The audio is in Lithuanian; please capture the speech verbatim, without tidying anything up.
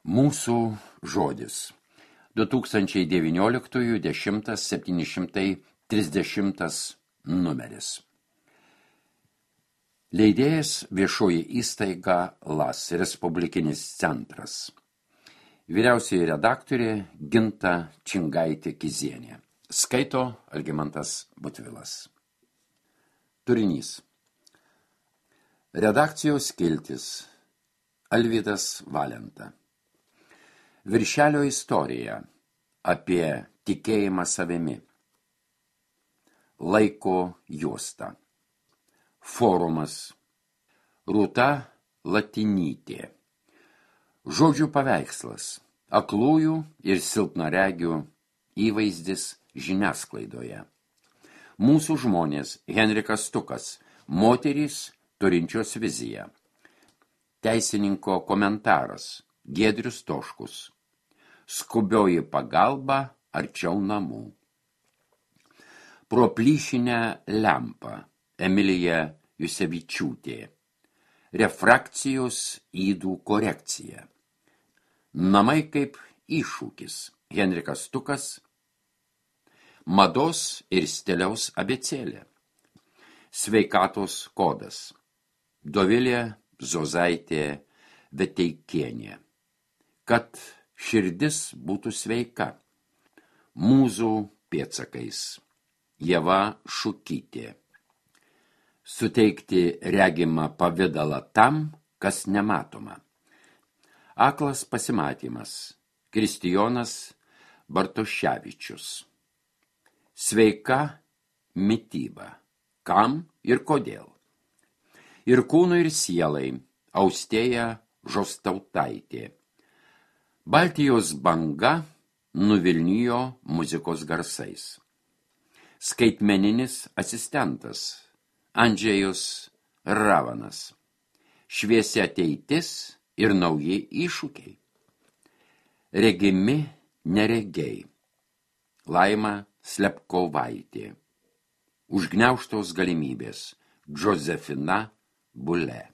Mūsų žodis. du tūkstančiai devynioliktųjų dešimtas septyni šimtai trisdešimtas numeris. Leidėjas viešoji įstaiga LAS, Respublikinis centras. Vyriausioji redaktorė Ginta Čingaitė-Kizienė. Skaito Algimantas Butvilas. Turinys. Redakcijos skiltis. Alvydas Valenta. Viršelio istorija apie tikėjimą savimi. Laiko juosta. Forumas. Rūta Latinytė. Žodžių paveikslas. Aklųjų ir silpnaregių įvaizdis žiniasklaidoje. Mūsų žmonės. Henrikas Stukas. Moterys turinčios viziją. Teisininko komentaras. Giedrius Toškus. Skubioji pagalba arčiau namų. Pro plyšinę lempą. Emilija Jusevičiūtė. Refrakcijos ydų korekcija. Namai kaip iššūkis. Henrikas Stukas. Mados ir stiliaus abėcėlė. Sveikatos kodas. Dovilė Zozaitė Veteikienė. Kad širdis būtų sveika. Mūzų pėdsakais. Ieva Šukytė. Suteikti regimą pavidalą tam, kas nematoma. Aklas pasimatymas. Kristijonas Bartoševičius. Sveika mityba. Kam ir kodėl? Ir kūnui ir sielai. Austėja Žostautaitė. Baltijos banga nuvilnijo muzikos garsais. Skaitmeninis asistentas. Andžejus Ravanas. Šviesi ateitis ir nauji iššūkiai. Regimi neregiai. Laima Slepkovaitė. Užgniaužtos galimybės. Džozefina Bule.